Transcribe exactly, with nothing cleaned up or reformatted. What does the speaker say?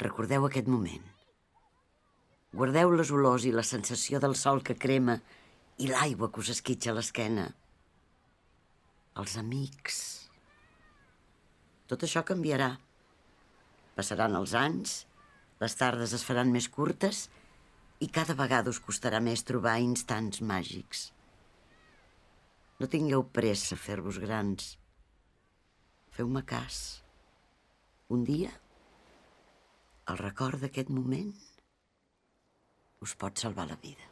Recordeu aquest moment. Guardeu les olors i la sensació del sol que crema i l'aigua que us esquitxa l'esquena. Els amics. Tot això canviarà. Passaran els anys, les tardes es faran més curtes i cada vegada us costarà més trobar instants màgics. No tingueu pressa a fer-vos grans. Feu-me cas. Un dia, el record d'aquest moment us pot salvar la vida.